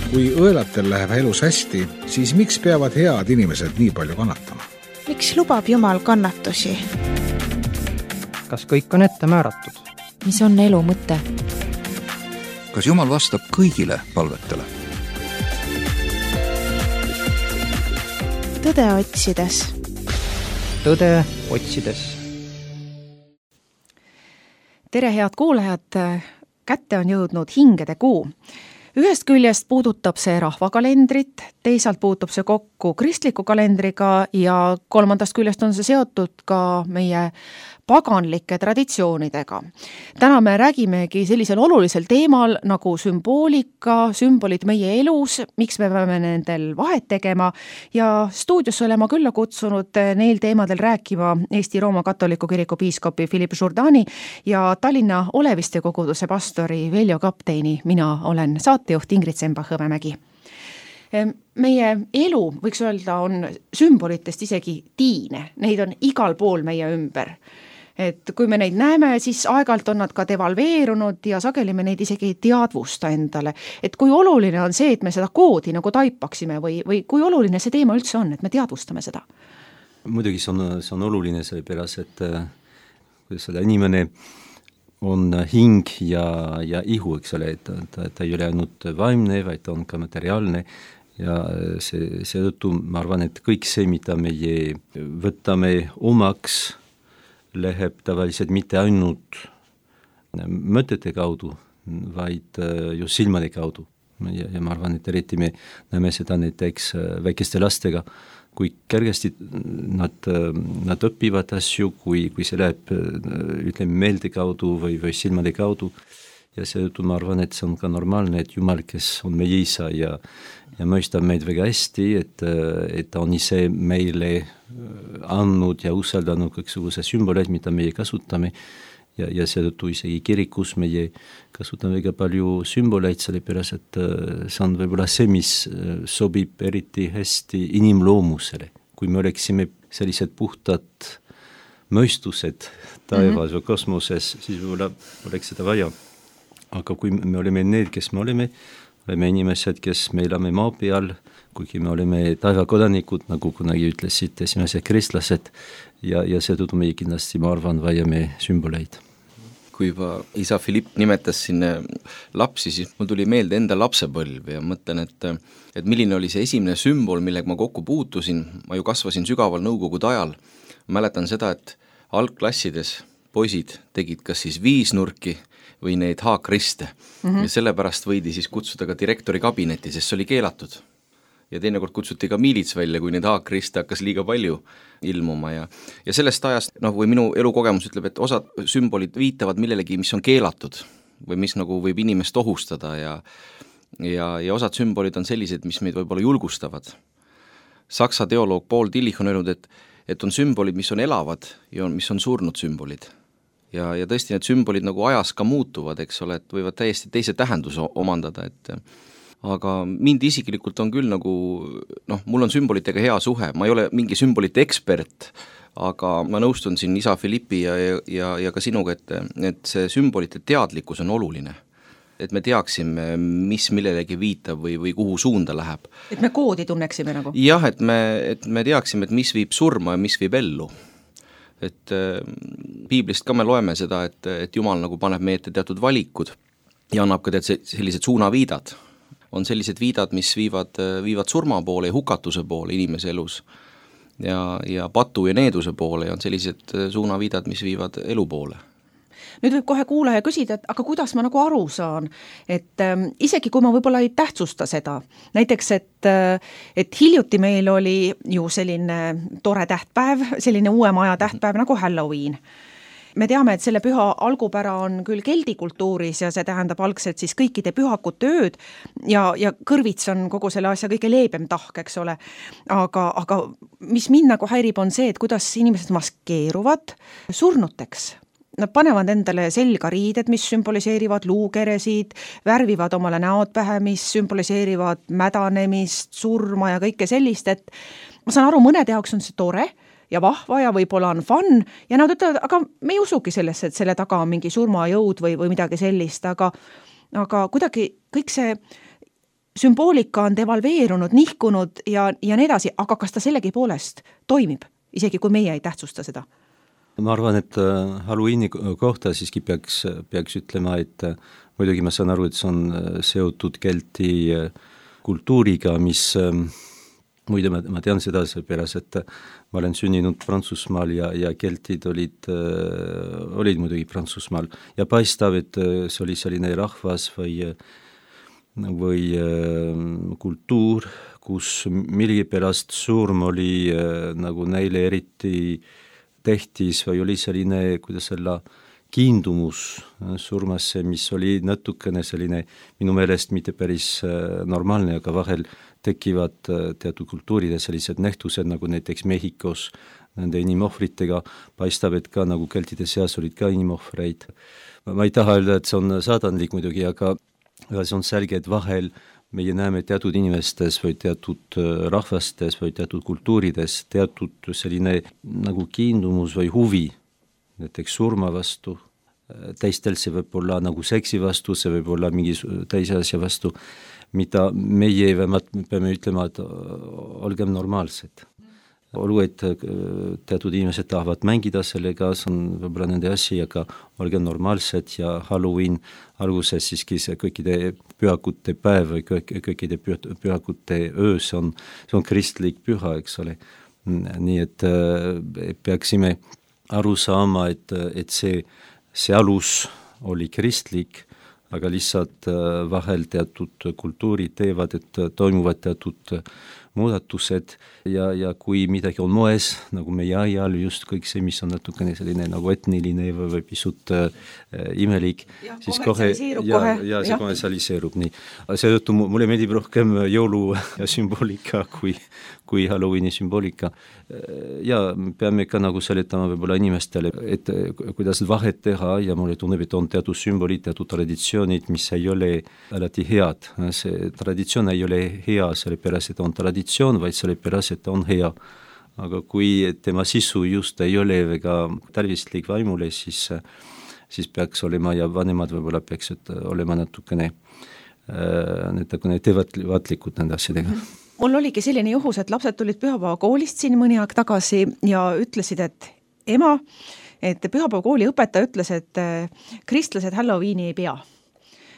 Kui õelatel läheb elus hästi, siis miks peavad head inimesed nii palju kannatama? Miks lubab Jumal kannatusi? Kas kõik on ette määratud? Mis on elu mõte? Kas Jumal vastab kõigile palvetele? Tõde otsides. Tõde otsides. Tere, head kuulajad! Kätte on jõudnud hingede kuu. Ühest küljest puudutab see rahvakalendrit, teisalt puutub see kokku kristliku kalendriga ja kolmandast küljest on see seotud ka meie paganlike traditsioonidega. Täna me räägimegi sellisel olulisel teemal nagu sümboolika, sümbolid meie elus, miks me peame nendel vahet tegema ja stuudios olema külla kutsunud neil teemadel rääkima Eesti Rooma Katoliku Kiriku piiskopi Philippe Jourdani ja Tallinna Oleviste koguduse pastori Veljo Kapteini. Mina olen saatejuht Ingrid Semba-Hõbemägi. Meie elu, võiks öelda, on sümbolitest isegi tiine. Neid on igal pool meie ümber. Et kui me neid näeme, siis aegalt on nad ka devalveerunud ja sageli me neid isegi ei teadvusta endale. Et kui oluline on see, et me seda koodi nagu taipaksime või kui oluline see teema üldse on, et me teadvustame seda? Muidugi see on oluline sellepärast, et kuidas seda inimene on hing ja ihu, eks ole, et ta ei ole ainult vaimne, vaid ta on ka materiaalne ja seetõttu ma arvan, et kõik see, mida meie võtame omaks, läheb tavaliselt mitte ainult mõtete kaudu, vaid ju silmade kaudu. Ja ma arvan, et eriti me näeme seda näiteks väikeste lastega, kui kergesti nad õpivad asju, kui see läheb ütleme meelde kaudu või silmade kaudu. Ja seetõttu ma arvan, et see on ka normaalne, et Jumal, kes on meie isa ja mõistab meid väga hästi, et ta on ise meile andnud ja usaldanud kõiksuguse sümboleid, mida meie kasutame ja seetõttu isegi kirikus meie kasutame väga palju sümboleid, sellepärast, et see on võib-olla see, mis sobib eriti hästi inimloomusele. Kui me oleksime sellised puhtad mõistused taevas või kosmoses, siis võib-olla oleks seda vaja. Aga kui me oleme need, kes me oleme inimesed, kes me elame maa peal, kuigi me oleme taevakodanikud, nagu kunagi ütlesid esimesed kristlased, ja seetõttu meie kindlasti, ma arvan, vajame sümboleid. Kui juba isa Philipp nimetas siin lapsi, siis mul tuli meelde enda lapsepõlv ja mõtlen, et milline oli see esimene sümbol, millega ma kokku puutusin. Ma ju kasvasin sügaval nõukogude ajal. Mäletan seda, et algklassides poisid tegid kas siis viisnurki või neid haakriste. Ja sellepärast võidi siis kutsuda ka direktori kabinetti, sest see oli keelatud. Ja teinekord kutsuti ka miilits välja, kui neid haakriste hakkas liiga palju ilmuma. Ja sellest ajast, või minu elukogemus ütleb, et osad sümbolid viitavad millelegi, mis on keelatud või mis nagu võib inimest ohustada ja osad sümbolid on sellised, mis meid võib-olla julgustavad. Saksa teoloog Paul Tillich on öelnud, et on sümbolid, mis on elavad ja mis on surnud sümbolid. Ja tõesti need sümbolid nagu ajas ka muutuvad, eks ole, et võivad täiesti teise tähenduse omandada, aga mind isiklikult on küll nagu, mul on sümbolitega hea suhe, ma ei ole mingi sümbolite ekspert, aga ma nõustun siin isa Philippi ja ka sinuga, et see sümbolite teadlikkus on oluline. Et me teaksime, mis millelegi viitab või kuhu suunda läheb. Et me koodi tunneksime nagu? Jah, et me teaksime, et mis viib surma ja mis viib ellu. Et piiblist ka me loeme seda, et Jumal nagu paneb meie ette teatud valikud ja annab ka sellised suunaviidad. On sellised viidad, mis viivad surma poole ja hukatuse poole inimese elus ja patu ja needuse poole ja on sellised suunaviidad, mis viivad elu poole. Nüüd võib kohe kuulaja küsida, et aga kuidas ma nagu aru saan, et isegi kui ma võib-olla ei tähtsusta seda, näiteks, et hiljuti meil oli ju selline tore tähtpäev, selline uue maja tähtpäev nagu Halloween. Me teame, et selle püha algupära on küll keldikultuuris ja see tähendab algselt siis kõikide pühakute ööd ja kõrvits on kogu selle asja kõige leebem tahk, eks ole. Aga mis mind nagu häirib on see, et kuidas inimesed maskeeruvad surnuteks. Nad panevad endale selga riided, mis sümboliseerivad luukeresid, värvivad omale näod pähe, mis sümboliseerivad mädanemist, surma ja kõike sellist, et ma saan aru, mõnede jaoks on see tore ja vahva ja võib-olla on fun ja nad ütlevad, aga me ei usugi sellesse, et selle taga on mingi surmajõud või midagi sellist, aga kuidagi kõik see sümboolika on devalveerunud, nihkunud ja nii edasi, aga kas ta sellegi poolest toimib, isegi kui meie ei tähtsusta seda? Ma arvan, et Halloweeni kohta siiski peaks ütlema, et muidugi ma saan aru, et see on seotud kelti kultuuriga, mis muide ma tean seda seepärast, et ma olen sündinud Prantsusmaal ja keltid olid muidugi Prantsusmaal ja paistab, et see oli selline rahvas või kultuur, kus millegipärast surm oli nagu neile eriti tehtis või oli selline, kuidas selle kiindumus surmasse, mis oli natukene selline minu meelest mitte päris normaalne, aga vahel tekivad teatud kultuurides sellised nähtused, nagu näiteks Mehhikos nende inimohvritega, paistab, et ka nagu keltide seas olid ka inimohvreid. Ma ei taha öelda, et see on saadanlik muidugi, aga see on selge, et vahel meie näeme teatud inimestes või teatud rahvastes või teatud kultuurides teatud selline nagu kiindumus või huvi, näiteks surma vastu, teistel see võib olla nagu seksi vastu, see võib olla mingi teise asja vastu, mida meie peame ütlema, et olgem normaalsed. Olgu, et teatud inimesed tahavad mängida sellega, see on võib-olla nende asi, aga olgem normaalsed ja Halloween alguses siiski see kõikide pühakute päev või kõikide pühakute öö, see on kristlik püha, eks ole. Nii et peaksime aru saama, et see alus oli kristlik, aga lihtsalt vahel teatud kultuurid teevad, et toimuvad teatud muudatused ja kui midagi on moes, nagu meie ajal just kõik see, mis on natukene selline nagu etniline või pisut imelik, siis kohe see kommertsialiseerub nii. Seetõttu mulle meeldib rohkem jõulu ja sümboolika kui Halloweeni sümboolika. Ja peame ka nagu seletama võib-olla inimestele, et kuidas vahet teha ja mulle tunneb, et on teatud sümbolid, teatud traditsioonid, mis ei ole alati head. See traditsioon ei ole hea, sellepärast, et on traditsioon, vaid sellepärast, et on hea. Aga kui tema sisu just ei ole väga tervislik vaimule, siis peaks olema ja vanemad võib-olla peaksid olema natukene teadlikud nende asjadega. Mul oligi selline juhus, et lapsed tulid pühapäevakoolist siin mõni aeg tagasi ja ütlesid, et ema, et pühapäevakooli õpetaja ütles, et kristlased Halloweeni ei pea.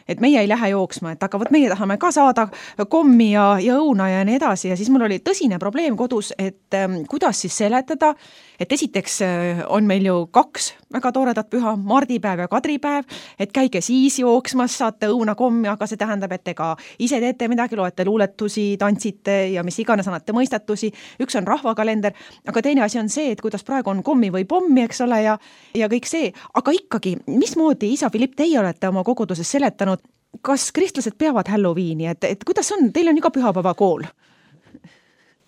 Et meie ei lähe jooksma, et aga meie tahame ka saada kommi ja õuna ja nii edasi ja siis mul oli tõsine probleem kodus, et kuidas siis seletada, et esiteks on meil ju 2 väga toredat püha, mardipäev ja kadripäev, et käige siis jooksmas, saate õuna kommi, aga see tähendab, et ega ise teete midagi, loete luuletusi, tantsite ja mis iganes annate mõistatusi, üks on rahvakalender, aga teine asi on see, et kuidas praegu on kommi või pommi, eks ole, ja kõik see, aga ikkagi, mismoodi, isa Philipp, teie olete oma koguduses seletanud, kas kristlased peavad Halloweeni, et kuidas on, teil on ju ka pühapäevakool?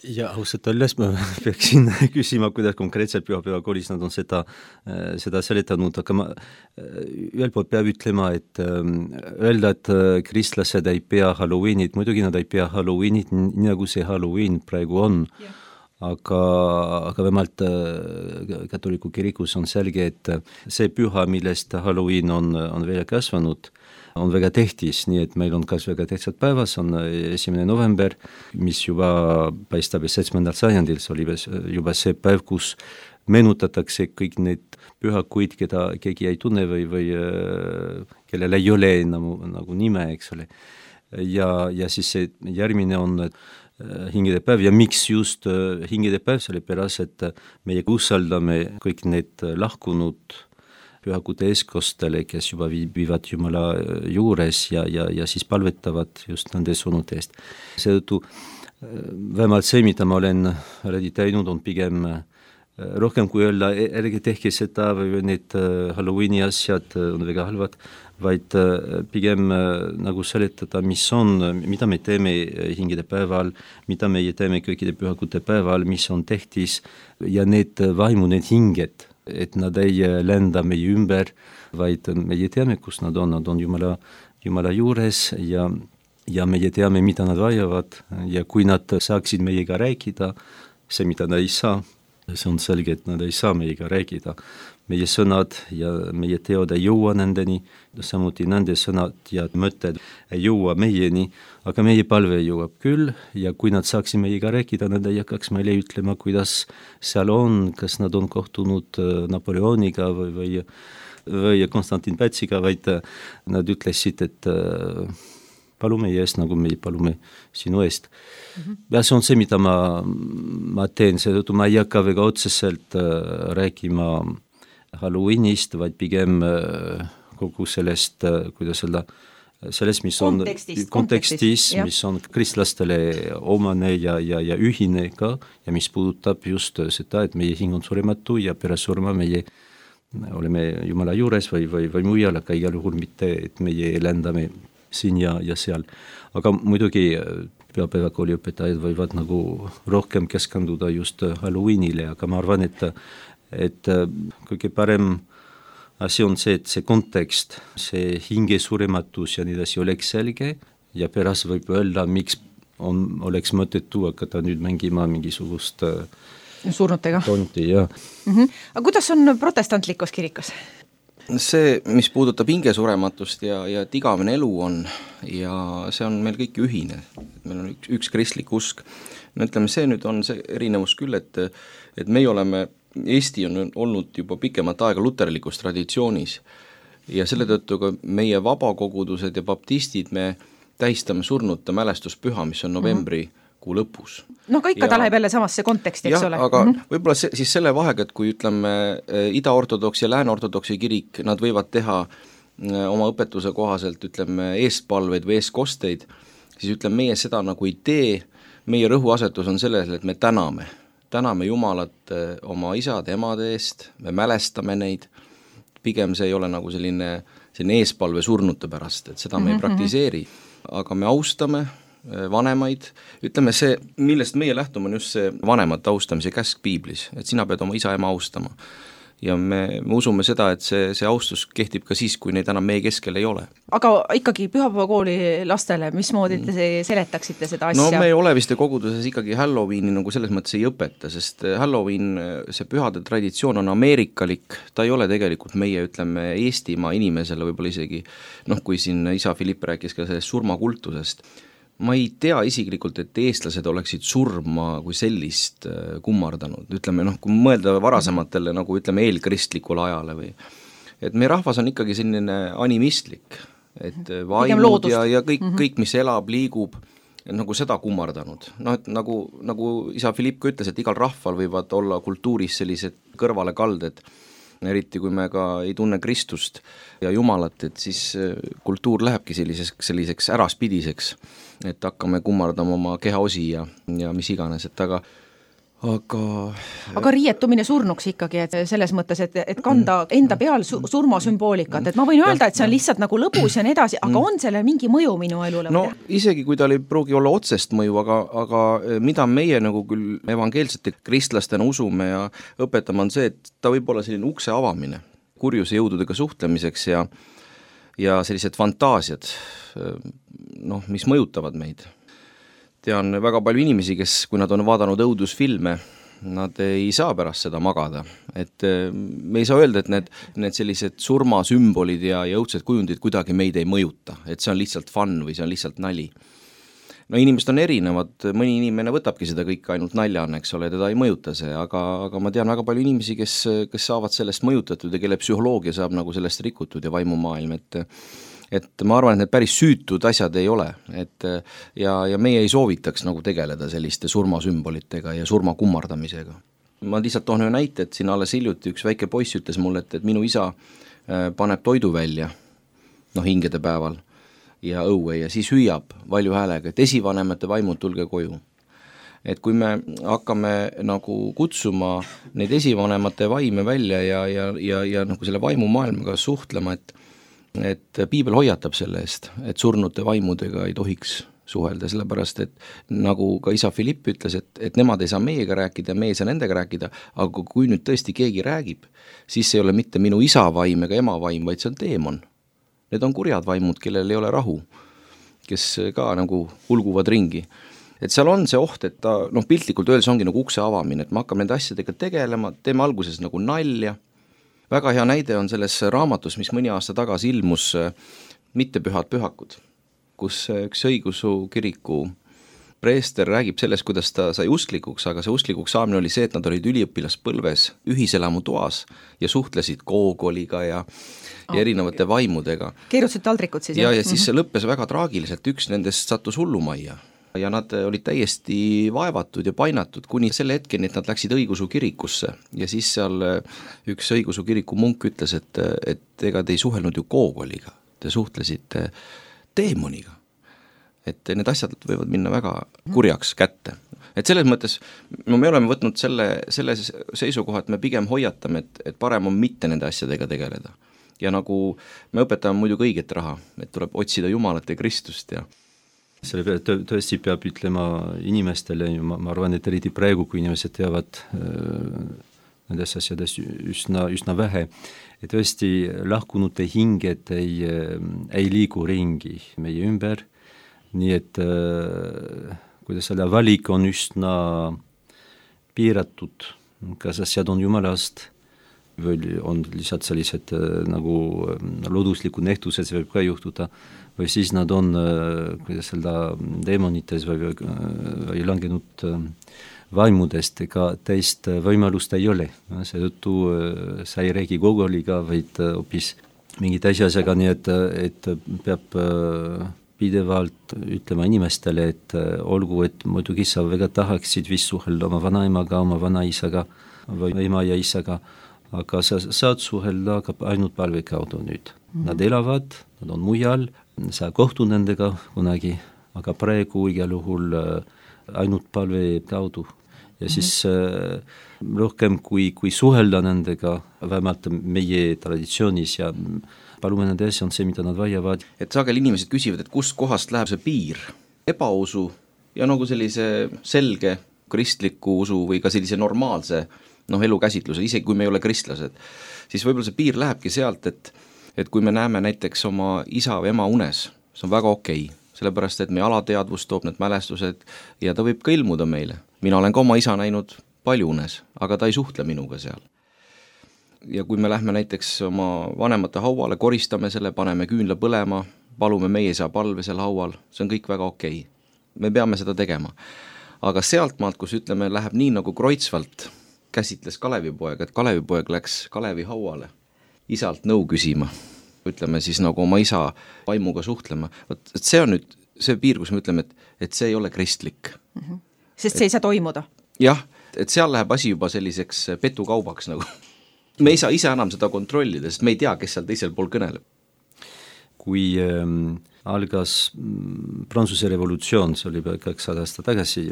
Ja ausalt olles ma peaksin küsima, kuidas konkreetselt pühapäevakoolis nad on seda seletanud, aga ma ühel poolt peab ütlema, et öelda, et kristlased ei pea Halloweenit, muidugi nad ei pea Halloweenit, nii nagu see Halloween praegu on. Aga vähemalt katoliku kirikus on selge, et see püha, millest Halloween on välja kasvanud, on väga tähtis, nii et meil on kas väga tähtsad päevas, on 1. november, mis juba paistab 7. sajandil, see oli juba see päev, kus meenutatakse kõik need pühakuid, keda keegi ei tunne või kellel ei ole nagu nime, eks ole. Ja siis see järgmine on hingedepäev ja miks just hingedepäev, sellepärast, et meie usaldame kõik need lahkunud pühakute eeskostele, kes juba viivad Jumala juures ja siis palvetavad just nende sõnute eest. Seetõttu vähemalt see, mida ma olen teinud, on pigem rohkem kui öelda, ärge tehke seda või need Halloweeni asjad on väga halvad, vaid pigem nagu seletada, mida me teeme hingede päeval, mida meie teeme kõikide pühakute päeval, mis on tähtis ja need vaimu, need hinged, et nad ei lenda meie ümber, vaid meie teame, kus nad on Jumala juures ja meie teame, mida nad vajavad ja kui nad saaksid meiega rääkida, see, mida nad ei saa, see on selge, et nad ei saa meiega rääkida. Meie sõnad ja meie teod ei jõua nendeni, samuti nende sõnad ja mõtted ei jõua meieni, aga meie palve jõuab küll ja kui nad saaksid meiega rääkida, nad ei hakkaks meile ütlema, kuidas seal on, kas nad on kohtunud Napoleoniga või Konstantin Pätsiga, vaid nad ütlesid, et palume eest, nagu me palume sinu eest. Ja see on see, mida ma teen, seetõttu ma ei hakka väga otseselt rääkima Halloweenist, vaid pigem kogu sellest, kuidas öelda, sellest, mis on kontekstis, mis on kristlastele omane ja ühine ka ja mis puudutab just seda, et meie hing on surematu ja pärast surma meie oleme Jumala juures või mujal, aga igal juhul mitte, et meie lendame siin ja seal. Aga muidugi pühapäevakooli õpetajad võivad nagu rohkem keskenduda just Halloweenile, aga ma arvan, et kõige parem asi on see, et see kontekst, see hinge surematus ja nii edasi oleks selge ja pärast võib öelda, miks oleks mõttetu hakata nüüd mängima mingisugust surnutega. Tonti, jah. Aga kuidas on protestantlikus kirikus? See, mis puudutab hingesurematust ja et igavene elu on ja see on meil kõik ühine, meil on üks kristlik usk. No ütleme, see nüüd on see erinevus küll, et meie oleme, Eesti on olnud juba pikemat aega luterlikus traditsioonis ja selle tõttu ka meie vabakogudused ja baptistid me tähistame surnute mälestuspüha, mis on novembri kuu lõpus. No aga ikka ta läheb jälle samasse konteksti, eks ole? Aga võib-olla siis selle vahega, et kui ütleme ida-ortodoks ja lääne-ortodoksi kirik, nad võivad teha oma õpetuse kohaselt, ütleme, eestpalveid või eestkosteid, siis ütleme, meie seda nagu ei tee, meie rõhuasetus on selles, et me täname Jumalat oma isade, emade eest, me mälestame neid, pigem see ei ole nagu selline eespalve surnute pärast, et seda me ei praktiseeri, aga me austame vanemaid, ütleme see, millest meie lähtume, on just see vanemate austamise käsk piiblis, et sina pead oma isa, ema austama. Ja me usume seda, et see austus kehtib ka siis, kui neid enam meie keskel ei ole. Aga ikkagi pühapäevakooli lastele, mismoodi te seletaksite seda asja? No me oleviste koguduses ikkagi Halloweeni nagu selles mõttes ei õpeta, sest Halloween, see pühade traditsioon on ameerikalik, ta ei ole tegelikult meie, ütleme, Eestimaa inimesele võib-olla isegi, kui siin isa Philipp rääkis ka sellest surmakultusest, ma ei tea isiklikult, et eestlased oleksid surma kui sellist kummardanud, ütleme, kui mõelda varasematele, nagu ütleme, eelkristlikule ajale või, et meie rahvas on ikkagi selline animistlik, et vaimud ja kõik, mis elab, liigub, nagu seda kummardanud. Et nagu isa Philipp ütles, et igal rahval võivad olla kultuuris sellised kõrvalekalded, eriti kui me ka ei tunne Kristust ja Jumalat, et siis kultuur lähebki selliseks äraspidiseks, et hakkame kummardama oma kehaosi ja mis iganes, et aga riietumine surnuks ikkagi, et selles mõttes, et kanda enda peal surmasümboolikat, et ma võin öelda, et see on lihtsalt nagu lõbus ja nii edasi, aga on selle mingi mõju minu elule? No isegi kui ta ei pruugi olla otsest mõju, aga mida meie nagu küll evangeelsete kristlastena usume ja õpetame on see, et ta võib olla selline ukse avamine kurjuse jõududega suhtlemiseks ja sellised fantaasiad, mis mõjutavad meid. Tean väga palju inimesi, kes, kui nad on vaadanud õudusfilme, nad ei saa pärast seda magada. Et me ei saa öelda, et need sellised surmasümbolid ja õudsed kujundid kuidagi meid ei mõjuta, et see on lihtsalt fun või see on lihtsalt nali. No inimesed on erinevad, mõni inimene võtabki seda kõike ainult naljana, eks ole, teda ei mõjuta see, aga ma tean väga palju inimesi, kes saavad sellest mõjutatud ja kelle psühholoogia saab nagu sellest rikutud ja vaimumaailm, et ma arvan, et need päris süütud asjad ei ole, ja meie ei soovitaks nagu tegeleda selliste surmasümbolitega ja surma kummardamisega. Ma lihtsalt toon ühe näite, et siin alles hiljuti üks väike poiss ütles mulle, et minu isa paneb toidu välja, hingede päeval ja õue ja siis hüüab valju häälega, et esivanemate vaimud tulge koju. Et kui me hakkame nagu kutsuma neid esivanemate vaime välja ja nagu selle vaimumaailmaga suhtlema, et piibel hoiatab selle eest, et surnute vaimudega ei tohiks suhelda, sellepärast, et nagu ka isa Philipp ütles, et nemad ei saa meiega rääkida ja meie ei saa nendega rääkida, aga kui nüüd tõesti keegi räägib, siis ei ole mitte minu isa vaim ega ema vaim, vaid see on teemon. Need on kurjad vaimud, kellel ei ole rahu, kes ka nagu hulguvad ringi. et seal on see oht, et ta piltlikult öeldes ongi nagu ukse avamine, et me hakkame nende asjadega tegelema, teeme alguses nagu nalja. Väga hea näide on selles raamatus, mis mõni aasta tagasi ilmus Mittepühad pühakud, kus üks õigeusu kiriku preester räägib sellest, kuidas ta sai usklikuks, aga see usklikuks saamine oli see, et nad olid üliõpilaspõlves ühiselamu toas ja suhtlesid koogoliga ja erinevate vaimudega. Keerutasid taldrikud siis? Ja siis see lõppes väga traagiliselt, üks nendest sattus hullumajja ja nad olid täiesti vaevatud ja painatud kuni selle hetkeni, et nad läksid õigeusu kirikusse ja siis seal üks õigeusu kiriku munk ütles, et ega te ei suhelnud ju koogoliga, te suhtlesite teemoniga. Et need asjad võivad minna väga kurjaks kätte. Et selles mõttes me oleme võtnud selle seisukoha, et me pigem hoiatame, et parem on mitte nende asjadega tegeleda. Ja nagu me õpetame muidugi õiget raha, et tuleb otsida Jumalat ja Kristust ja selle peale tõesti peab ütlema inimestele, ma arvan, et eriti praegu, kui inimesed teavad nendes asjades üsna vähe, et tõesti lahkunute hinged ei liigu ringi meie ümber, nii et kuidas selle valik on üsna piiratud, kas asjad on Jumalast või on lihtsalt sellised nagu looduslikud nähtused, see võib ka juhtuda, või siis nad on kuidas öelda deemonites või langenud vaimudest, ega teist võimalust ei ole. Seetõttu sa ei räägi Gogoliga, vaid hoopis mingit asjaga, nii et peab pidevalt ütlema inimestele, et olgu, et muidugi sa väga tahaksid vist suhelda oma vanaemaga, oma vanaisaga või ema ja isaga, aga sa saad suhelda ainult palve kaudu nüüd. Nad elavad, nad on mujal, sa kohtu nendega kunagi, aga praegu igal juhul ainult palve kaudu. Ja siis rohkem kui suhelda nendega, vähemalt meie traditsioonis ja palume nende asja on see, mida nad vajavad. Et sagel inimesed küsivad, et kust kohast läheb see piir ebausu ja nagu sellise selge kristliku usu või ka sellise normaalse elukäsitluse, isegi kui me ei ole kristlased, siis võib-olla see piir lähebki sealt, et kui me näeme näiteks oma isa või ema unes, see on väga okei, sellepärast et meie alateadvus toob need mälestused ja ta võib ka ilmuda meile. Mina olen ka oma isa näinud palju unes, aga ta ei suhtle minuga seal. Ja kui me lähme näiteks oma vanemate hauale, koristame selle, paneme küünla põlema, palume meie isa palve seal haual, see on kõik väga okei. Me peame seda tegema. Aga sealtmaalt, kus ütleme, läheb nii nagu Kreutzwald käsitles Kalevipoeg, et Kalevipoeg läks Kalevi hauale isalt nõu küsima, ütleme siis nagu oma isa vaimuga suhtlema. Et see on nüüd see piir, kus me ütleme, et see ei ole kristlik. Sest see ei saa toimuda. Jah, et seal läheb asi juba selliseks petukaubaks nagu. Me ei saa ise enam seda kontrollida, sest me ei tea, kes seal teisel pool kõneleb. Kui algas Prantsuse revolutsioon, see oli 200 aasta tagasi,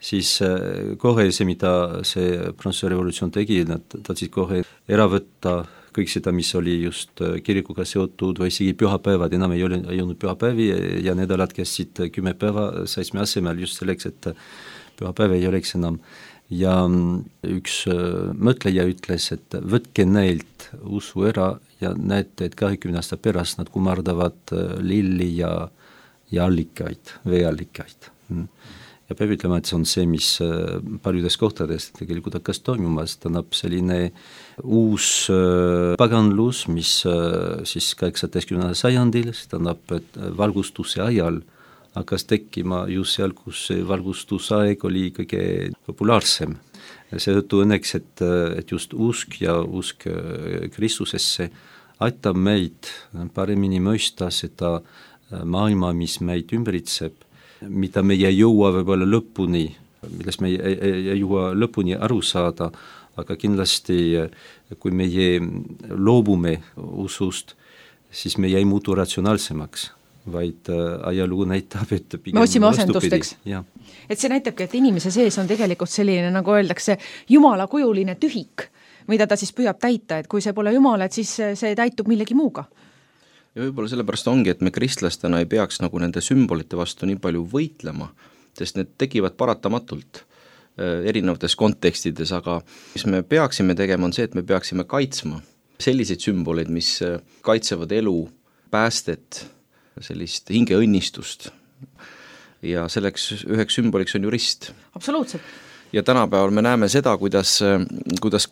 siis kohe see, mida see Prantsuse revolutsioon tegi, nad tahtsid kohe ära võtta kõik seda, mis oli just kirikuga seotud või isegi pühapäevad, enam ei olnud pühapäevi ja nädalad käisid 10 päeva 7 asemel just selleks, et pühapäev ei oleks enam. Ja üks mõtleja ütles, et võtke neilt usu ära ja näete, et 20 aasta pärast nad kummardavad lilli ja allikaid, veeallikaid. Ja peab ütlema, et see on see, mis paljudes kohtades tegelikult hakkas toimumas, tähendab selline uus paganlus, mis siis 18. sajandil, tähendab valgustuse ajal hakkas tekkima just seal, kus see valgustusaeg oli kõige populaarsem. Seetõttu õnneks, et just usk ja usk Kristusesse aitab meid paremini mõista seda maailma, mis meid ümbritseb, mida me ei jõua võib-olla lõpuni, millest me ei jõua lõpuni aru saada, aga kindlasti, kui meie loobume usust, siis me ei muutu ratsionaalsemaks, vaid ajalugu näitab, et pigem me otsime asendusteks. Et see näitabki, et inimese sees on tegelikult selline, nagu öeldakse, jumalakujuline tühik, mida ta siis püüab täita, et kui see pole jumal, et siis see täitub millegi muuga. Ja võib-olla sellepärast ongi, et me kristlastena ei peaks nagu nende sümbolite vastu nii palju võitlema, sest need tekivad paratamatult erinevates kontekstides, aga mis me peaksime tegema, on see, et me peaksime kaitsma selliseid sümboleid, mis kaitsevad elu, päästet, sellist hingeõnnistust. ja selleks üheks sümboliks on ju rist. Absoluutselt. Ja tänapäeval me näeme seda, kuidas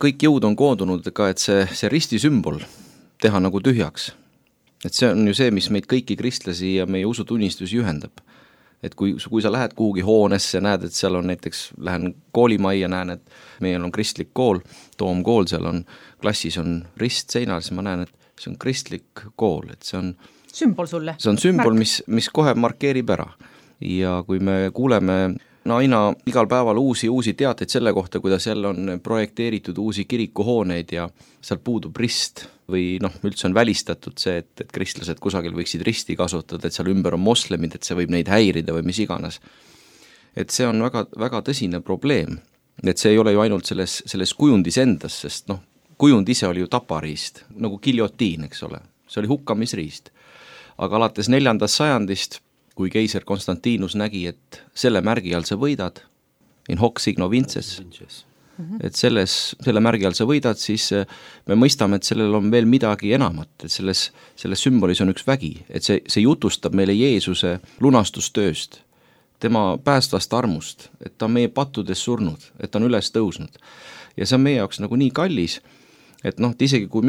kõik jõud on koondunud ka, et see risti sümbol teha nagu tühjaks. Et see on ju see, mis meid kõiki kristlasi ja meie usutunnistusi ühendab. Et kui sa lähed kuhugi hoonesse, näed, et seal on näiteks, lähen koolimajja, näen, et meil on kristlik kool, Toomkool, seal on klassis on rist seinal, siis ma näen, et see on kristlik kool, et see on sümbol sulle. See on sümbol, mis kohe markeerib ära. Ja kui me kuuleme aina igal päeval uusi teateid selle kohta, kuidas jälle on projekteeritud uusi kirikuhooneid ja seal puudub rist või üldse on välistatud see, et kristlased kusagil võiksid risti kasutada, et seal ümber on moslemid, et see võib neid häirida või mis iganes. Et see on väga, väga tõsine probleem. Et see ei ole ju ainult selles kujundis endas, sest kujund ise oli ju tapariist, nagu giljotiin, eks ole. See oli hukkamisriist. Aga alates 4. sajandist, kui keiser Konstantinus nägi, et selle märgi all sa võidad, in hoc signo vinces, et selle märgi all sa võidad, siis me mõistame, et sellel on veel midagi enamat, et selles sümbolis on üks vägi, et see jutustab meile Jeesuse lunastustööst, tema päästvast armust, et ta on meie pattudes surnud, et ta on üles tõusnud. Ja see on meie jaoks nagu nii kallis, et isegi kui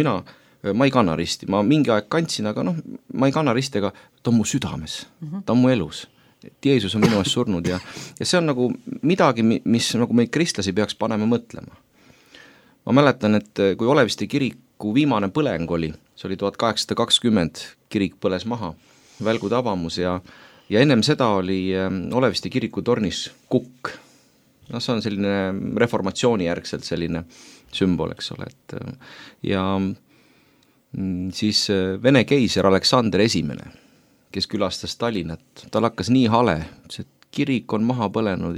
ma ei kanna risti, ma mingi aeg kandsin, aga ma ei kanna risti, aga ta on mu südames, ta on mu elus. Et Jeesus on minu eest surnud ja see on nagu midagi, mis nagu meid kristlasi peaks panema mõtlema. Ma mäletan, et kui Oleviste kiriku viimane põleng oli, see oli 1820, kirik põles maha, välgu tabamus ja ennem seda oli Oleviste kiriku tornis kukk. See on selline reformatsiooni järgselt selline sümbol, eks ole. Ja siis Vene keiser Aleksander I, kes külastas Tallinnat, tal hakkas nii hale, et kirik on maha põlenud,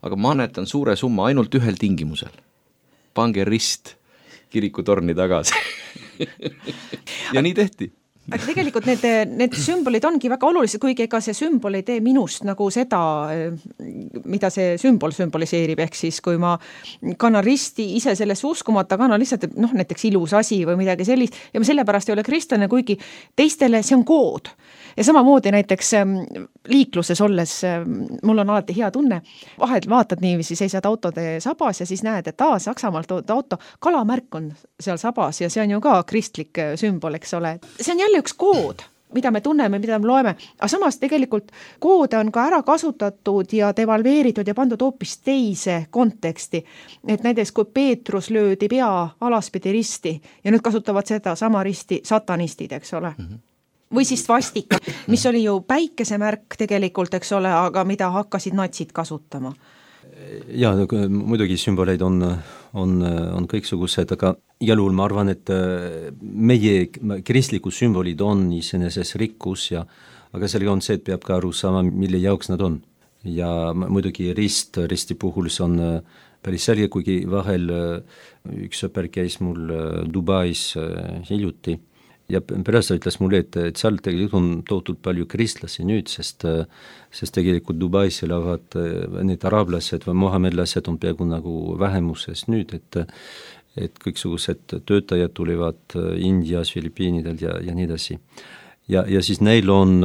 aga ma annetan suure summa ainult ühel tingimusel. Pange rist kirikutorni tagasi. Ja nii tehti. Aga tegelikult need sümbolid ongi väga olulised, kuigi ega see sümbol ei tee minust nagu seda, mida see sümbol sümboliseerib, ehk siis kui ma kannan risti ise sellesse uskumata, kannan lihtsalt näiteks ilus asi või midagi sellist ja ma sellepärast ei ole kristlane, kuigi teistele see on kood. Ja samamoodi näiteks liikluses olles, mul on alati hea tunne, vahel vaatad niiviisi, seisad autode sabas ja siis näed, et Saksamaalt auto, kalamärk on seal sabas ja see on ju ka kristlik sümbol, eks ole. See on jälle üks kood, mida me tunneme, mida me loeme, aga samas tegelikult koode on ka ära kasutatud ja devalveeritud ja pandud hoopis teise konteksti. Et näiteks kui Peetrus löödi pea alaspidi risti ja nüüd kasutavad seda sama risti satanistid, eks ole. Või siis svastika, mis oli ju päikesemärk tegelikult, eks ole, aga mida hakkasid natsid kasutama. Ja muidugi sümboleid on kõiksugused, aga igal juhul ma arvan, et meie kristlikud sümbolid on iseeneses rikkus aga sellega on see, et peab ka aru saama, mille jaoks nad on. Ja muidugi risti puhul see on päris selge, kuigi vahel üks sõper käis mul Dubais hiljuti ja pärast ütles mulle, et seal tegelikult on tohutult palju kristlasi nüüd, sest tegelikult Dubais elavad need araablased või mohamedlased on peaaegu nagu vähemuses nüüd, et kõiksugused töötajad tulevad Indias, Filipiinidel ja nii edasi. Ja siis neil on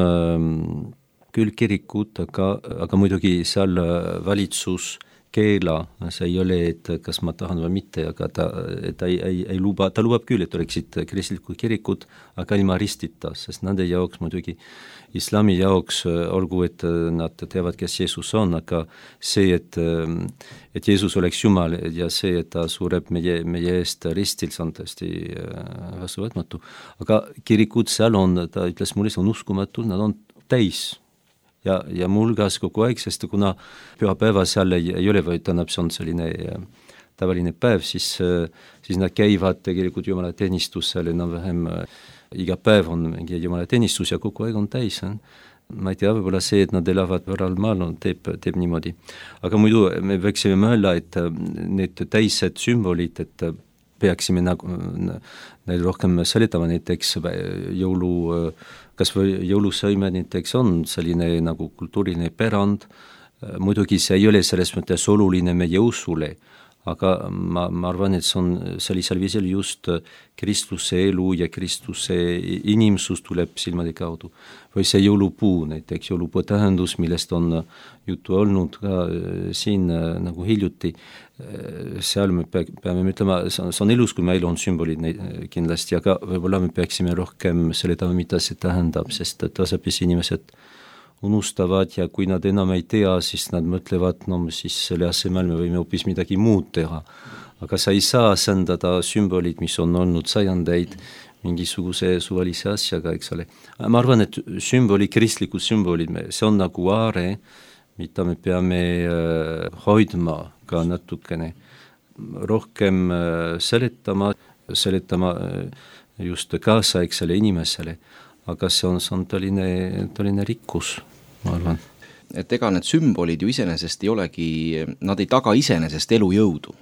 küll kirikud, aga muidugi seal valitsus keela, see ei ole, et kas ma tahan või mitte, aga ta lubab küll, et oleksid kristlikud kirikud, aga ilma ristita, sest nende jaoks muidugi islami jaoks, olgu, et nad teavad, kes Jeesus on, aga see, et Jeesus oleks Jumal ja see, et ta sureb meie eest ristil, see on tõesti vastuvõtmatu. Aga kirikud seal on, ta ütles mulle, see on uskumatul, nad on täis. Ja mulgas kogu aeg, sest kuna pühapäeva seal ei ole, või tähendab, see on selline tavaline päev, siis nad käivad tegelikult jumalateenistusel enam-vähem iga päev on mingi jumalateenistus ja kogu aeg on täis. Ma ei tea, võib-olla see, et nad elavad võral maal, teeb niimoodi. Aga muidu me võiksime mõelda, et need täised sümbolid, et peaksime neil rohkem seletama, näiteks kas või jõulusõime näiteks on selline nagu kultuuriline pärand, muidugi see ei ole selles mõttes oluline meie usule, aga ma arvan, et see on sellisel viisil just Kristuse elu ja Kristuse inimsus tuleb silmade kaudu. Või see jõulupuu, näiteks jõulupuu tähendus, millest on juttu olnud ka siin nagu hiljuti, seal me peame ütlema, see on ilus, kui meil on sümbolid kindlasti, aga võib-olla me peaksime rohkem seletama, mida see tähendab, sest tasapisi inimesed unustavad ja kui nad enam ei tea, siis nad mõtlevad, no siis selle asemel me võime hoopis midagi muud teha. Aga sa ei saa asendada sümbolid, mis on olnud sajandeid mingisuguse suvalise asjaga, eks ole. Ma arvan, et kristlikud sümbolid, see on nagu aare, mida me peame hoidma ka natukene. Rohkem seletama just kaasaegsele inimesele. Aga see on tõeline rikkus, ma arvan. Et ega need sümbolid ju iseenesest ei olegi, nad ei taga iseenesest elujõudu.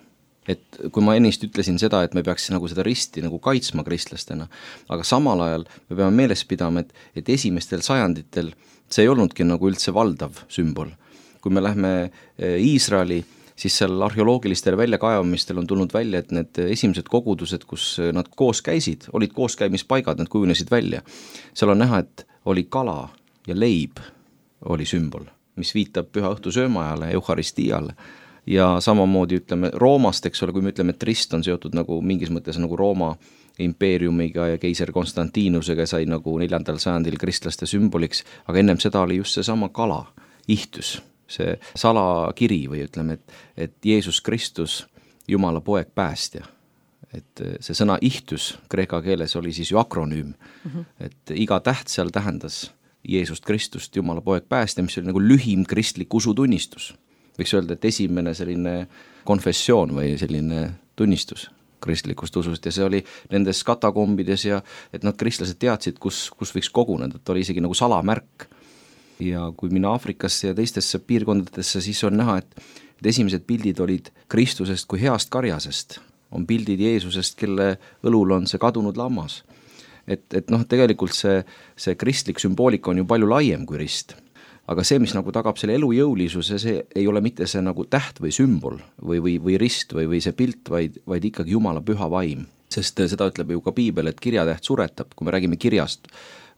Et kui ma ennist ütlesin seda, et me peaks nagu seda risti nagu kaitsma kristlastena, aga samal ajal me peame meeles pidama, et esimestel sajanditel see ei olnudki nagu üldse valdav sümbol. Kui me lähme Iisraeli, siis seal arheoloogilistel väljakaevamistel on tulnud välja, et need esimesed kogudused, kus nad koos käisid, olid kooskäimispaigad, nad kujunesid välja. Seal on näha, et oli kala ja leib oli sümbol, mis viitab püha õhtu söömaajale, euharistiiale. Ja samamoodi ütleme Roomast, eks ole, kui me ütleme, et rist on seotud nagu mingis mõttes nagu Rooma impeeriumiga ja keiser Konstantinusega sai nagu 4. sajandil kristlaste sümboliks, aga ennem seda oli just see sama kala, ihtus. See salakiri või ütleme, et Jeesus Kristus, Jumala poeg päästja. Et see sõna ihtus kreeka keeles oli siis ju akronüüm, et iga täht seal tähendas Jeesust Kristust, Jumala poeg päästja, mis oli nagu lühim kristlik usutunnistus. Võiks öelda, et esimene selline konfessioon või selline tunnistus kristlikust usust ja see oli nendes katakombides ja et nad kristlased teadsid, kus võiks koguneda, et oli isegi nagu salamärk. Ja kui minna Aafrikasse ja teistesse piirkondadesse, siis on näha, et esimesed pildid olid Kristusest kui heast karjasest. On pildid Jeesusest, kelle õlul on see kadunud lammas. Et tegelikult see kristlik sümboolika on ju palju laiem kui rist. Aga see, mis nagu tagab selle elujõulisuse, see ei ole mitte see nagu täht või sümbol või rist või see pilt, vaid ikkagi Jumala püha vaim. Sest seda ütleb ju ka Piibel, et kirjatäht suretab, kui me räägime kirjast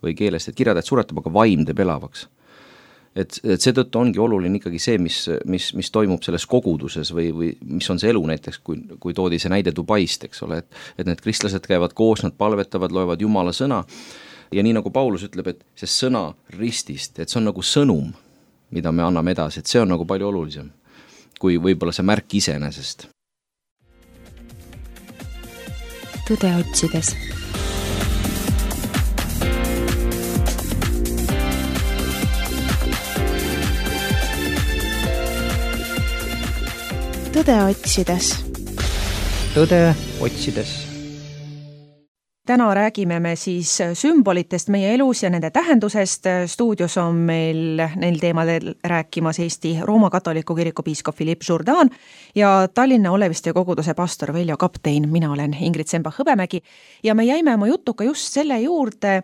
või keelest, et kirjatäht suretab, aga vaim teeb elavaks. Et seetõttu ongi oluline ikkagi see, mis toimub selles koguduses või mis on see elu näiteks, kui toodi see näide Dubaist, eks ole, et need kristlased käivad koos, nad palvetavad, loevad Jumala sõna ja nii nagu Paulus ütleb, et see sõna ristist, et see on nagu sõnum, mida me anname edasi, et see on nagu palju olulisem kui võib-olla see märk iseenesest. Tõde otsides. Tõde otsides. Tõde otsides. Täna räägime me siis sümbolitest meie elus ja nende tähendusest. Stuudios on meil neil teemadel rääkimas Eesti Rooma katoliku kiriku piiskop Philippe Jourdan ja Tallinna Oleviste koguduse pastor Veljo Kaptein. Mina olen Ingrid Sembach-Hõbemägi ja me jäime oma jutuga just selle juurde,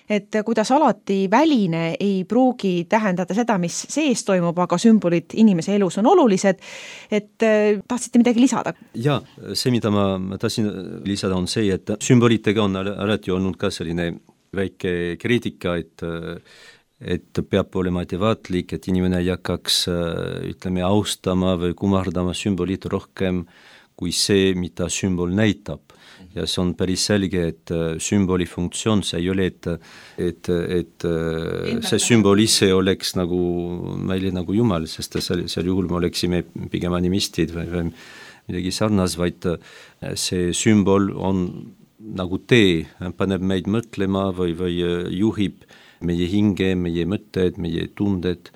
et kuidas alati väline ei pruugi tähendada seda, mis sees toimub, aga sümbolid inimese elus on olulised. Et tahtsite midagi lisada? Ja, see, mida ma tahtsin lisada, on see, et sümbolitega on alati olnud ka selline väike kriitika, et peab olema ettevaatlik, et inimene ei hakkaks, ütleme, austama või kummardama sümbolit rohkem kui see, mida sümbol näitab. Ja see on päris selge, et sümboli funktsioon, see ei ole, et see sümbol ise oleks nagu meile nagu Jumal, sest seal juhul me oleksime pigem animistid või midagi sarnas, vaid see sümbol on nagu tee, paneb meid mõtlema või juhib meie hinge, meie mõtted, meie tunded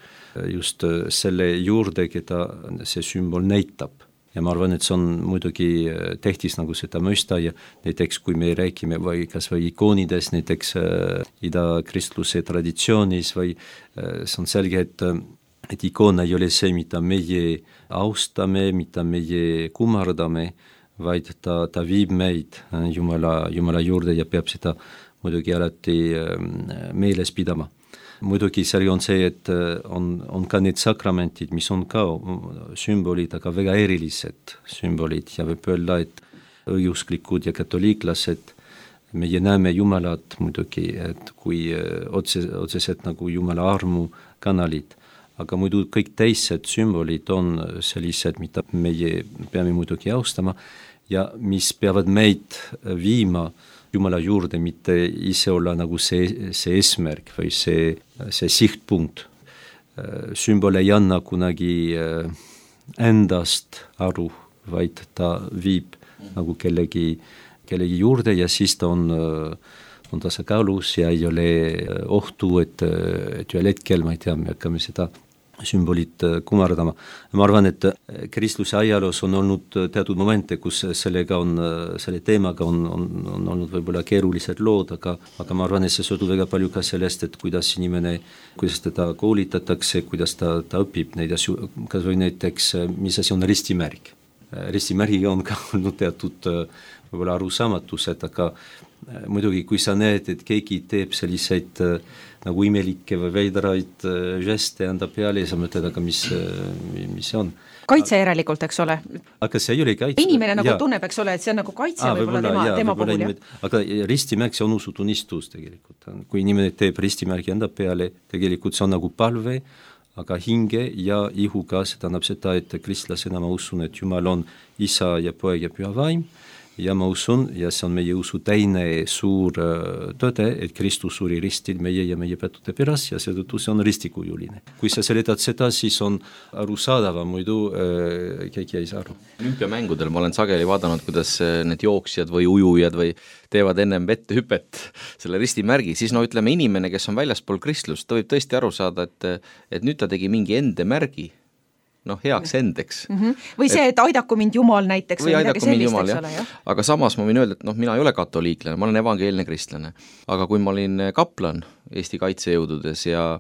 just selle juurde, keda see sümbol näitab. Ja ma arvan, et see on muidugi tähtis nagu seda mõista ja näiteks kui me räägime või kas või ikoonides, näiteks idakristluse traditsioonis või see on selge, et ikoon ei ole see, mida meie austame, mida meie kummardame, vaid ta viib meid Jumala juurde ja peab seda muidugi alati meeles pidama. muidugi selge on see, et on ka need sakramentid, mis on ka sümbolid, aga väga erilised sümbolid ja võib öelda, et õigeusklikud ja katoliiklased, meie näeme Jumalat muidugi, et kui otseselt nagu Jumala armu kanalid, aga muidu kõik teised sümbolid on sellised, mida meie peame muidugi austama ja mis peavad meid viima Jumala juurde, mitte ise olla nagu see eesmärk või see sihtpunkt. Sümbol ei anna kunagi endast aru, vaid ta viib nagu kellegi juurde ja siis ta on tasakaalus ja ei ole ohtu, et ühel hetkel, ma ei tea, me hakkame seda sümbolit kummardama. Ma arvan, et kristluse ajaloos on olnud teatud momente, kus selle teemaga on olnud võib-olla keerulised lood, aga ma arvan, et see sõltub väga palju ka sellest, et kuidas teda koolitatakse, kuidas ta õpib neid asju, kas või näiteks, mis asi on ristimärg. Ristimärgiga on ka olnud teatud võib-olla arusaamatused, aga muidugi, kui sa näed, et keegi teeb selliseid nagu imelikke või veidraid žeste anda peale ja sa mõtled, aga mis see on? Kaitse järelikult, eks ole? Aga see ei ole kaitse. Inimene nagu tunneb, eks ole, et see on nagu kaitse võib-olla tema puhul. Aga ristimärk, see on usutunnistus tegelikult. Kui inimene teeb ristimärgi enda peale, tegelikult see on nagu palve, aga hinge ja ihuga, see tähendab seda, et kristlasena ma usun, et Jumal on isa ja poeg ja püha vaim ja ma usun, ja see on meie usu teine suur tõde, et Kristus suri ristil meie ja meie pettude pärast ja seetõttu see on ristikujuline. Kui sa seletad seda, siis on arusaadava, muidu keegi ei saa aru. Olümpiamängudel ma olen sageli vaadanud, kuidas need jooksjad või ujujad või teevad ennem vette hüpet selle ristimärgi, siis ütleme inimene, kes on väljaspool kristlust, ta võib tõesti aru saada, et nüüd ta tegi mingi ende märgi, heaks endeks. Või see, et aidaku mind Jumal näiteks või midagi sellist, eks ole, jah? Aga samas ma võin öelda, et mina ei ole katoliiklane, ma olen evangeelne kristlane. Aga kui ma olin kaplan Eesti kaitsejõududes ja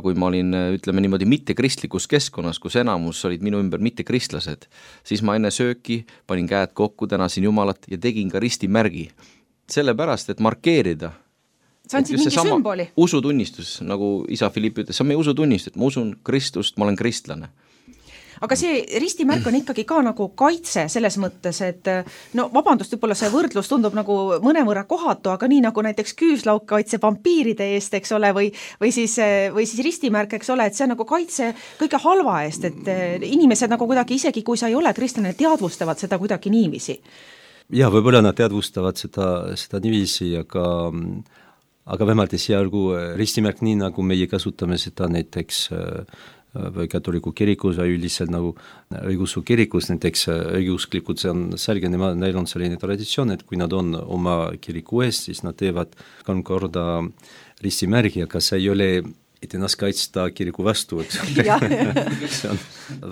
kui ma olin, ütleme niimoodi, mitte kristlikus keskkonnas, kus enamus olid minu ümber mitte kristlased, siis ma enne sööki panin käed kokku, tänasin Jumalat ja tegin ka ristimärgi. Sellepärast, et markeerida see on siis mingi sümboli. Usutunnistus, nagu isa Philipp ütles, see on meie usutunnistus, et ma usun Kristust, ma olen kristlane. Aga see ristimärk on ikkagi ka nagu kaitse selles mõttes, et vabandust, võib-olla see võrdlus tundub nagu mõnevõrra kohatu, aga nii nagu näiteks küüslauk kaitse vampiiride eest, eks ole, või siis ristimärk, eks ole, et see on nagu kaitse kõige halva eest, et inimesed nagu kuidagi, isegi kui sa ei ole kristlane, teadvustavad seda kuidagi niiviisi. Ja võib-olla nad teadvustavad seda niiviisi, aga vähemalt esialgu ristimärk nii, nagu meie kasutame seda näiteks või katoliku kirikus või üldiselt nagu õigeusu kirikus, näiteks õigeusklikud, see on selge, neil on selline traditsioon, et kui nad on oma kiriku eest, siis nad teevad 3 korda ristimärgi, aga see ei ole, et ennast kaitsta kiriku vastu, eks see on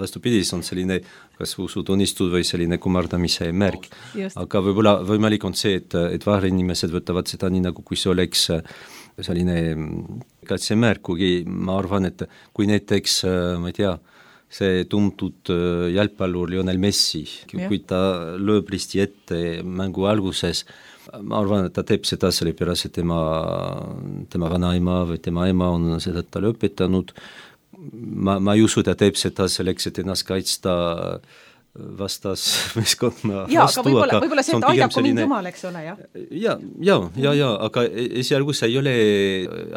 vastupidi, see on selline kas usutunnistus või selline kummardamise märk. Aga võib-olla võimalik on see, et vaherinimesed võtavad seda nii nagu kui see oleks selline kaitsemärk, kuigi ma arvan, et kui näiteks, ma ei tea, see tuntud jalgpallur Lionel Messi, kui ta lööb risti ette mängu alguses, ma arvan, et ta teeb seda sellepärast, et tema vanaema või tema ema on seda talle õpetanud. Ma ei usu, ta teeb seda selleks, et ennast kaitsta vastas meeskonna vastu. Aga võib-olla see, et aidaku mind Jumal, eks ole, jah? Ja, aga esialgu see ei ole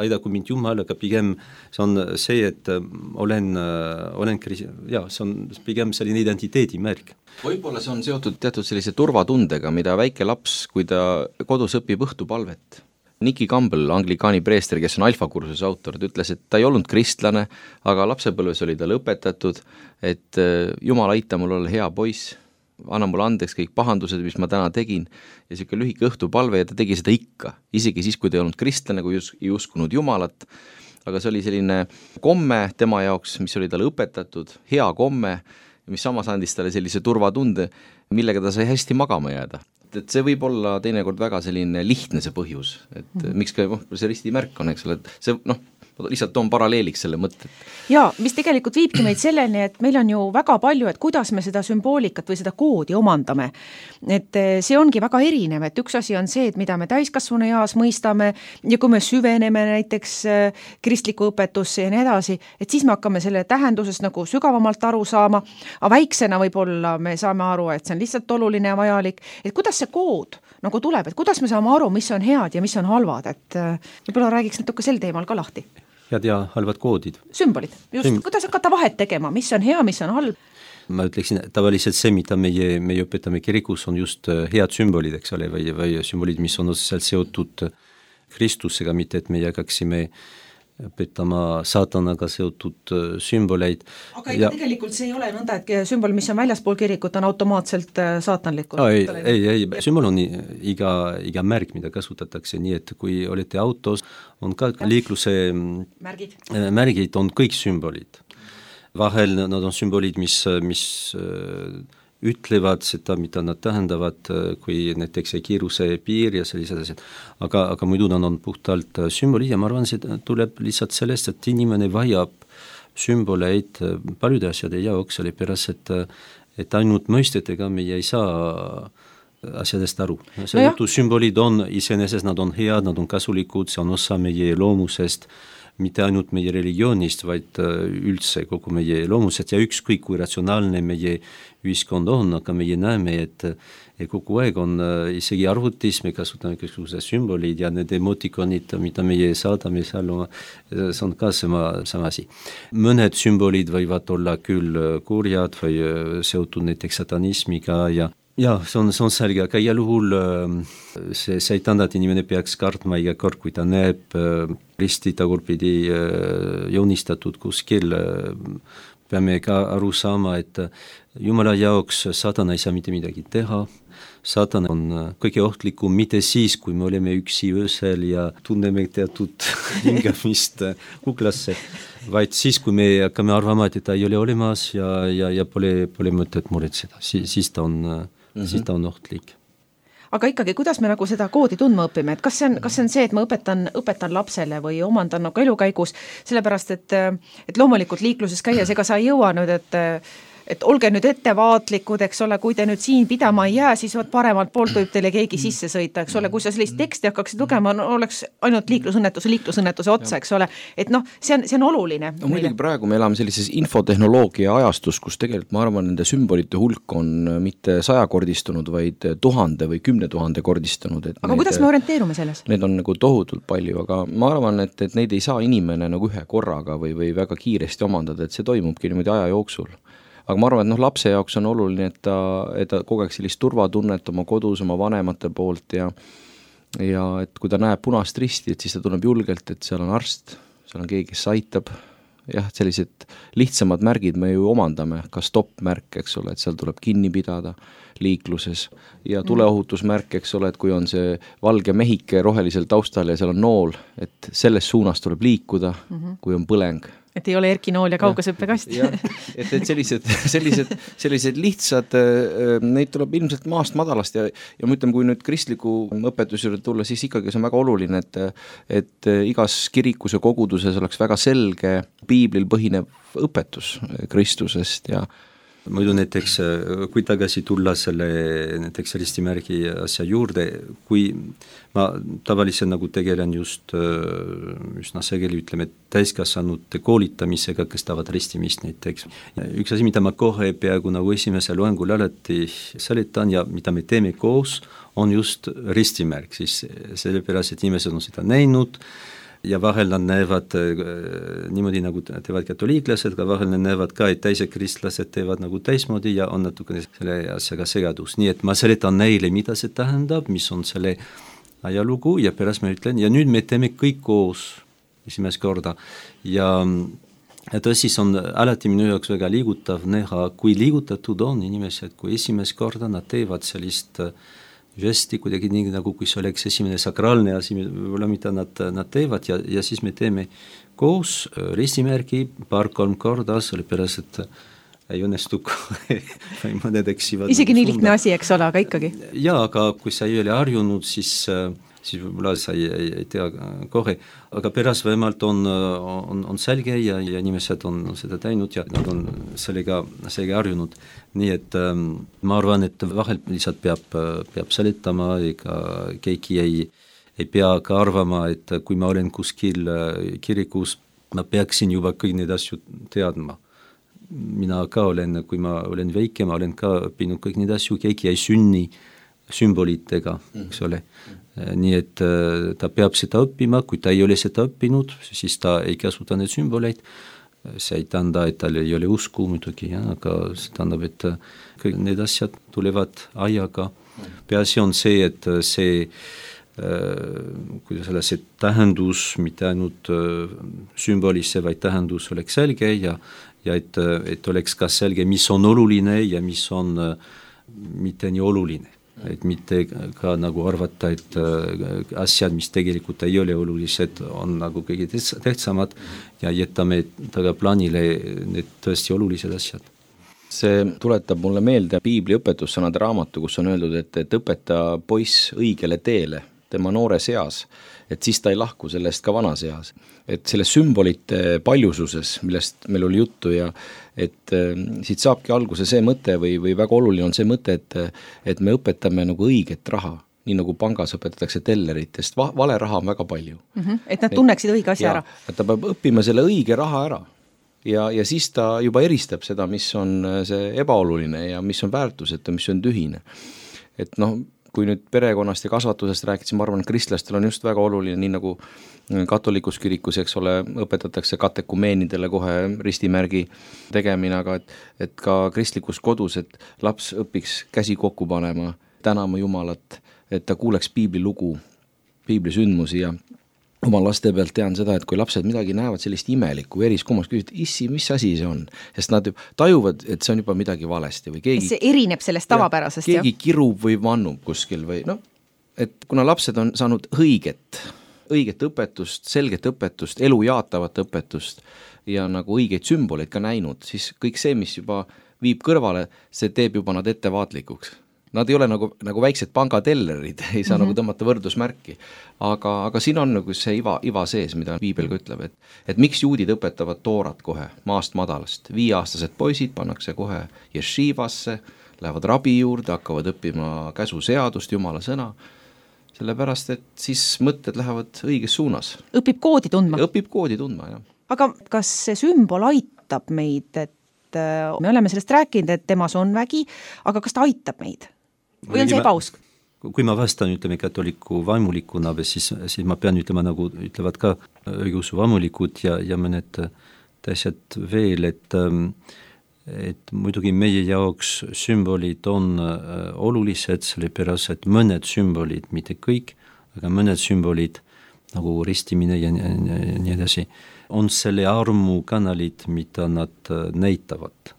aidaku mind Jumal, aga pigem see on see, et see on pigem selline identiteedimärk. Võib-olla see on seotud teatud sellise turvatundega, mida väike laps, kui ta kodus õpib õhtupalvet. Nicky Campbell, anglikaani preester, kes on alfakursuse autor, ta ütles, et ta ei olnud kristlane, aga lapsepõlves oli tal õpetatud, et Jumal aita mul olla hea poiss, anna mulle andeks kõik pahandused, mis ma täna tegin, ja selline lühike õhtupalve ja ta tegi seda ikka, isegi siis, kui ta ei olnud kristlane, kui ei uskunud Jumalat, aga see oli selline komme tema jaoks, mis oli talle õpetatud, hea komme, mis samas andis talle sellise turvatunde, millega ta sai hästi magama jääda. Et see võib olla teinekord väga selline lihtne see põhjus, et miks ka see ristimärk on, eks ole, et see ma lihtsalt toon paralleeliks selle mõtte. Ja, mis tegelikult viibki meid selleni, et meil on ju väga palju, et kuidas me seda sümboolikat või seda koodi omandame. Et see ongi väga erinev, et üks asi on see, et mida me täiskasvanu eas mõistame ja kui me süveneme näiteks kristliku õpetusse ja nii edasi, et siis me hakkame selle tähendusest nagu sügavamalt aru saama, aga väiksena võib-olla me saame aru, et see on lihtsalt oluline ja vajalik, et kuidas see kood nagu tuleb, et kuidas me saame aru, mis on head ja mis on halvad, et võib-olla räägiks natuke sel teemal ka lahti. Head ja halvad koodid. Sümbolid, just, kuidas hakata vahet tegema, mis on hea, mis on halb? Ma ütleksin, tavaliselt see, mida meie õpetame kirikus, on just head sümbolid, eks ole, või sümbolid, mis on otseselt seotud Kristusega, mitte et meie hakkaksime õpetama saatanaga seotud sümboleid. Aga tegelikult see ei ole nõnda, et sümbol, mis on väljaspool kirikut, on automaatselt saatanlikud. Ei, sümbol on iga märk, mida kasutatakse, nii et kui olete autos, on ka liikluse märgid on kõik sümbolid. Vahel nad on sümbolid, mis ütlevad seda, mida nad tähendavad, kui näiteks kiiruse piir ja sellised asjad. Aga muidu nad on puhtalt sümbolid ja ma arvan, see tuleb lihtsalt sellest, et inimene vajab sümboleid paljude asjade jaoks, oli pärast, et ainult mõistetega meie ei saa asjadest aru. Seetõttu sümbolid on iseenesest, nad on head, nad on kasulikud, see on osa meie loomusest, mitte ainult meie religioonist, vaid üldse kogu meie loomusest ja ükskõik kui ratsionaalne meie ühiskond on, aga meie näeme, et kogu aeg on isegi arvutis, me kasutame kõiksugused sümbolid ja need emotikonid, mida meie saadame seal, see on ka sama asi. Mõned sümbolid võivad olla küll kurjad või seotud näiteks satanismiga ja see on selge, aga igal juhul see ei tähenda, et inimene peaks kartma iga kord, kui ta näeb risti tagurpidi joonistatud kuskil, peame ka aru saama, et Jumala jaoks saatan ei saa mitte midagi teha, saatan on kõige ohtlikum mitte siis, kui me oleme üksi öösel ja tunneme teatud hingamist kuklasse, vaid siis, kui me hakkame arvama, et ta ei ole olemas ja pole mõtet muretseda, siis ta on ohtlik. Aga ikkagi, kuidas me nagu seda koodi tundma õpime, et kas see on see, et ma õpetan lapsele või omandan nagu elukäigus, sellepärast, et loomulikult liikluses käies, ega sa ei jõua nüüd, et olge nüüd ettevaatlikud, eks ole, kui te nüüd siin pidama ei jää, siis paremalt poolt võib teile keegi sisse sõita, eks ole, kui sa sellist teksti hakkaksid lugema, oleks ainult liiklusõnnetuse otsa, eks ole, et see on oluline. No, muidugi praegu me elame sellises infotehnoloogia ajastus, kus tegelikult ma arvan, nende sümbolite hulk on mitte 100-kordistunud, vaid 1000 või 10 000 kordistunud. Aga kuidas me orienteerume selles? Need on nagu tohutult palju, aga ma arvan, et neid ei saa inimene nagu ühe korraga või väga kiiresti omandada, et see toimubki niimoodi aja jooksul. Aga ma arvan, et lapse jaoks on oluline, et ta kogeks sellist turvatunnet oma kodus, oma vanemate poolt ja et kui ta näeb punast risti, et siis ta tunneb julgelt, et seal on arst, seal on keegi, kes aitab. Jah, sellised lihtsamad märgid me ju omandame, ka stopp-märk, eks ole, et seal tuleb kinni pidada liikluses ja tuleohutusmärk, eks ole, et kui on see valge mehike rohelisel taustal ja seal on nool, et selles suunas tuleb liikuda, kui on põleng. Et ei ole erkinool ja kaugasõppekast. Et sellised lihtsad, neid tuleb ilmselt maast madalast ja ma ütlen, kui nüüd kristliku õpetusele tulla, siis ikkagi see on väga oluline, et igas kirikus ja koguduses oleks väga selge piiblil põhinev õpetus Kristusest ja muidu näiteks, kui tagasi tulla selle näiteks ristimärgi asja juurde, kui ma tavaliselt nagu tegelen just üsna sageli, ütleme, täiskasvanute koolitamisega, kes tahavad ristimist näiteks. Üks asi, mida ma kohe peaaegu nagu esimese loengul alati seletan ja mida me teeme koos, on just ristimärk, siis sellepärast, et inimesed on seda näinud, ja vahel nad näevad niimoodi, nagu teevad katoliiklased, aga vahel nad näevad ka, et teised kristlased teevad nagu teismoodi ja on natukene selle asjaga segadus. Nii et ma seletan neile, mida see tähendab, mis on selle ajalugu ja pärast ma ütlen, ja nüüd me teeme kõik koos esimest korda. Ja tõsi, on alati minu jaoks väga liigutav näha, kui liigutatud on inimesed, kui esimest korda nad teevad sellist žesti kuidagi nii, nagu kui see oleks esimene sakraalne asi, mida nad teevad ja siis me teeme koos ristimärgi 2-3 korda, sellepärast, et ei õnnestu või mõned eksivad. Isegi nii lihtne asi, eks ole, aga ikkagi. Jaa, aga kui sa ei ole harjunud, siis siis võib-olla sa ei tea kohe, aga pärast vähemalt on selge ja inimesed on seda teinud ja nad on sellega harjunud. Nii et ma arvan, et vahel lihtsalt peab seletama, ega keegi ei pea ka arvama, et kui ma olen kuskil kirikus, ma peaksin juba kõik need asju teadma. Mina ka olen, kui ma olen väike, ma olen ka õppinud kõik need asju, keegi ei sünni sümbolitega, eks ole. Nii et ta peab seda õppima, kui ta ei ole seda õppinud, siis ta ei kasuta need sümboleid. See ei tähenda, et tal ei ole usku muidugi, aga see tähendab, et kõik need asjad tulevad ajaga. Peaasi on see, et see kuidas see tähendus, mitte ainult sümbolisse, vaid tähendus oleks selge ja et oleks ka selge, mis on oluline ja mis on mitte nii oluline. Et mitte ka nagu arvata, et asjad, mis tegelikult ei ole olulised, on nagu kõige tähtsamad ja jätame tagaplaanile need tõesti olulised asjad. See tuletab mulle meelde Piibli õpetussõnade raamatu, kus on öeldud, et õpeta poiss õigele teele tema noores eas, et siis ta ei lahku sellest ka vanas eas. Et selles sümbolite paljususes, millest meil oli juttu ja et siit saabki alguse see mõte või väga oluline on see mõte, et me õpetame nagu õiget raha, nii nagu pangas õpetatakse tellerit, sest vale raha on väga palju. Et nad tunneksid õige asja ära. Et ta peab õppima selle õige raha ära ja siis ta juba eristab seda, mis on see ebaoluline ja mis on väärtusetu, mis on tühine. Et kui nüüd perekonnast ja kasvatusest rääkida, ma arvan, et kristlastel on just väga oluline, nii nagu katolikus kirikus, eks ole, õpetatakse katekumeenidele kohe ristimärgi tegemine, aga et ka kristlikus kodus, et laps õpiks käsi kokku panema, tänama Jumalat, et ta kuuleks piibli lugu, piibli sündmusi ja oma laste pealt tean seda, et kui lapsed midagi näevad sellist imelikku, eriskummas küsivad, issi, mis asi see on? Sest nad tajuvad, et see on juba midagi valesti või keegi... See erineb sellest tavapärasest, keegi kirub või vannub kuskil või et kuna lapsed on saanud õiget õpetust, selget õpetust, elu jaatavat õpetust ja nagu õigeid sümboleid ka näinud, siis kõik see, mis juba viib kõrvale, see teeb juba nad ettevaatlikuks. Nad ei ole nagu väiksed pangatellerid, ei saa nagu tõmmata võrdusmärki, aga siin on nagu see iva sees, mida Piibel ka ütleb, et miks juudid õpetavad toorat kohe maast madalast. 5-aastased poisid pannakse kohe jeshivasse, lähevad rabi juurde, hakkavad õppima käsuseadust, Jumala sõna, sellepärast, et siis mõtted lähevad õiges suunas. Õpib koodi tundma, jah. Aga kas see sümbol aitab meid, et me oleme sellest rääkinud, et temas on vägi, aga kas ta aitab meid? Või on see ebausk? Kui ma vastan, ütleme, katoliku vaimulikuna, siis ma pean ütlema, nagu ütlevad ka õigeusu vaimulikud ja mõned teised veel, et muidugi meie jaoks sümbolid on olulised, sellepärast, et mõned sümbolid, mitte kõik, aga mõned sümbolid, nagu ristimine ja nii edasi, on selle armu kanalid, mida nad näitavad.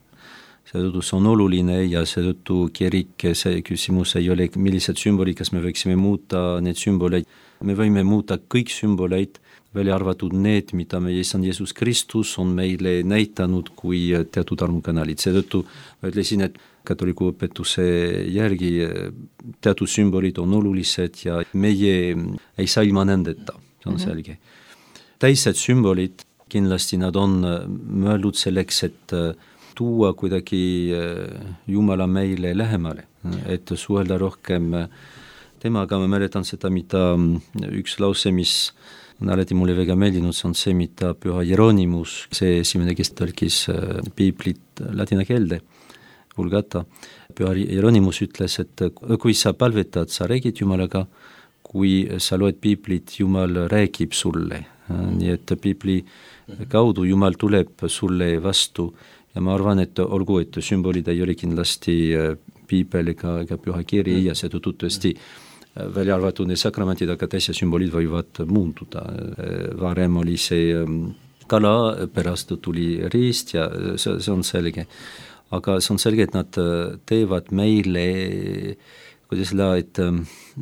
Seetõttu see on oluline ja seetõttu kirik, see küsimus ei ole, millised sümbolid, kas me võiksime muuta need sümboleid. Me võime muuta kõik sümboleid, välja arvatud need, mida meie Issand Jeesus Kristus on meile näitanud kui teatud armukanalid. Seetõttu ma ütlesin, et katoliku õpetuse järgi teatud sümbolid on olulised ja meie ei saa ilma nendeta, see on selge. Teised sümbolid, kindlasti nad on mõeldud selleks, et tuua kuidagi Jumala meile lähemale, et suhelda rohkem temaga. Ma mäletan seda, mida üks lause, mis on alati mulle väga meeldinud, see on see, mida Püha Jeronimus, see esimene, kes tõlkis piiblit ladina keelde, Vulgata. Püha Jeronimus ütles, et kui sa palvetad, sa räägid Jumalaga, kui sa loed piiblit, Jumal räägib sulle. Nii et piibli kaudu Jumal tuleb sulle vastu. Ja ma arvan, et olgu, et sümbolid ei ole kindlasti piibel ega püha kiri ja see tõesti välja arvatud need sakramendid, aga teised sümbolid võivad muunduda. Varem oli see kala, pärast tuli riist ja see on selge. Aga see on selge, et nad teevad meile, kuidas öelda,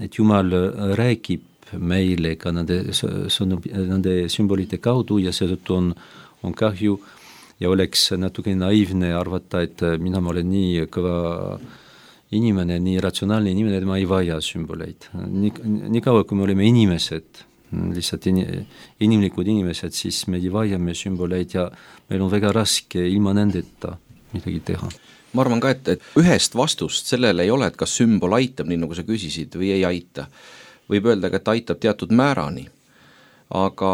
et Jumal räägib meile ka nende sümbolite kaudu ja seetõttu on kahju ja oleks natuke naiivne arvata, et mina olen nii kõva inimene, nii ratsionaalne inimene, et ma ei vaja sümboleid. Nii kaua, kui me oleme inimesed, lihtsalt inimlikud inimesed, siis me vajame sümboleid ja meil on väga raske ilma nendeta midagi teha. Ma arvan ka, et ühest vastust sellele ei ole, et kas sümbol aitab, nii nagu sa küsisid, või ei aita. Võib öelda, et aitab teatud määrani. Aga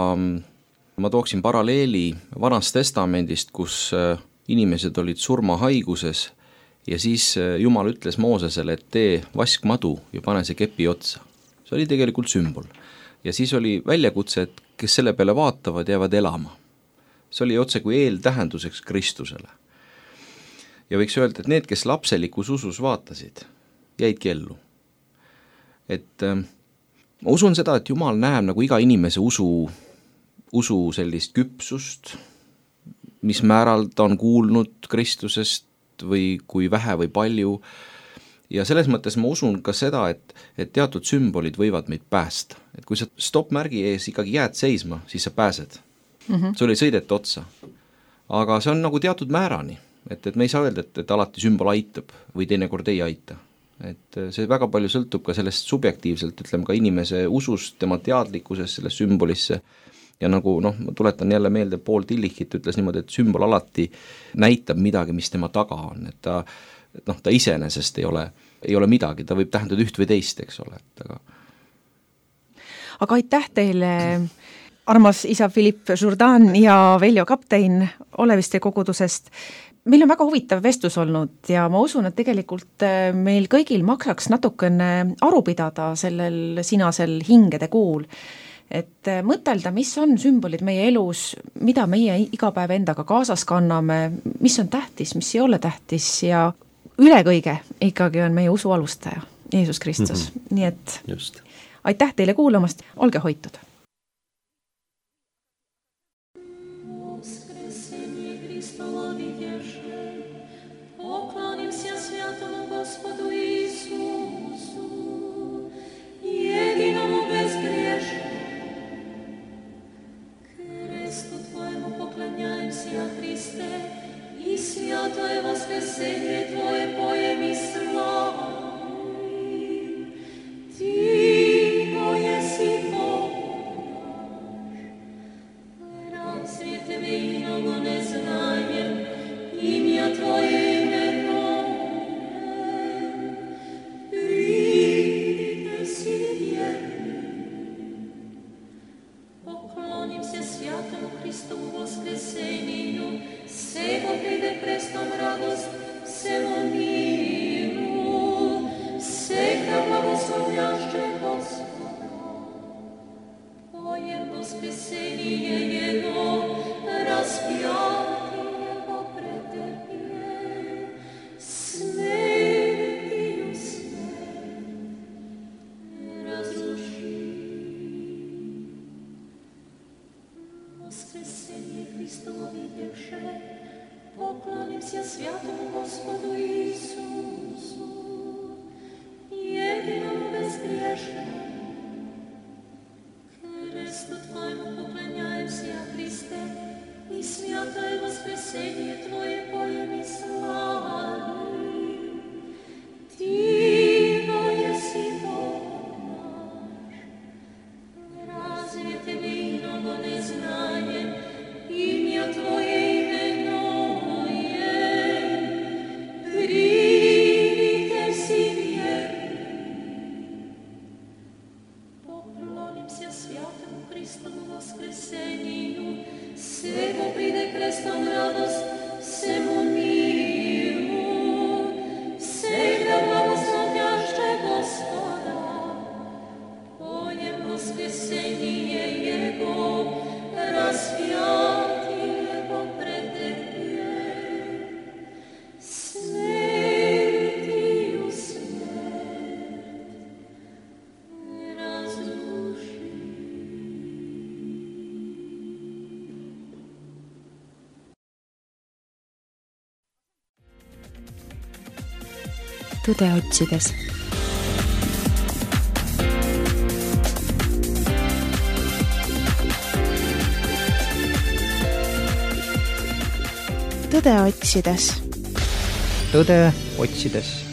ma tooksin paralleeli Vanast Testamendist, kus inimesed olid surmahaiguses ja siis Jumal ütles Moosesele, et tee vaskmadu ja pane see kepi otsa. See oli tegelikult sümbol. Ja siis oli väljakutse, et kes selle peale vaatavad, jäävad elama. See oli otse kui eeltähenduseks Kristusele. Ja võiks öelda, et need, kes lapselikus usus vaatasid, jäidki ellu. Et ma usun seda, et Jumal näeb nagu iga inimese usu sellist küpsust, mis määral ta on kuulnud Kristusest või kui vähe või palju. Ja selles mõttes ma usun ka seda, et teatud sümbolid võivad meid päästa. Et kui sa stopp-märgi ees ikkagi jääd seisma, siis sa pääsed. Sul ei sõideta otsa. Aga see on nagu teatud määrani. Et me ei saa öelda, et alati sümbol aitab või teinekord ei aita. Et see väga palju sõltub ka sellest subjektiivselt, ütleme ka inimese usust, tema teadlikkusest selle sümbolisse. Ja nagu, ma tuletan jälle meelde, Paul Tillichit ütles niimoodi, et sümbol alati näitab midagi, mis tema taga on. Et ta iseenesest ei ole midagi, ta võib tähendada üht või teist, eks ole. Aga aitäh teile, armas isa Philippe Jourdan ja Veljo Kaptein Oleviste kogudusest. Meil on väga huvitav vestlus olnud ja ma usun, et tegelikult meil kõigil maksaks natukene aru pidada sellel sinasel hingede kuul. Et mõtelda, mis on sümbolid meie elus, mida meie iga päev endaga kaasas kanname, mis on tähtis, mis ei ole tähtis ja üle kõige ikkagi on meie usu alustaja, Jeesus Kristus. Nii et just. Aitäh teile kuulamast, olge hoitud! Святое воскресение Твое поем и славим. Ты, еси Бог наш, разве Тебе иного не знаем, имя Твое именуем. Приди си верный, поклонимся святому Христову воскресению, Сего приде престом радост, всему миру, всех благословляще Господа. Поем воскресение Его, распятие Его претерпел, смертью смерть разрушил. Воскресение Христово видевшее, поклонимся святому Господу Иисусу, единому безгрешному. Кресту Твоему поклоняемся, Христе, и святое воскресение Твое поем и славим. Ты, еси Бог наш, разве Тебе иного не знаем, имя Твое Tõde otsides. Tõde otsides. Tõde otsides.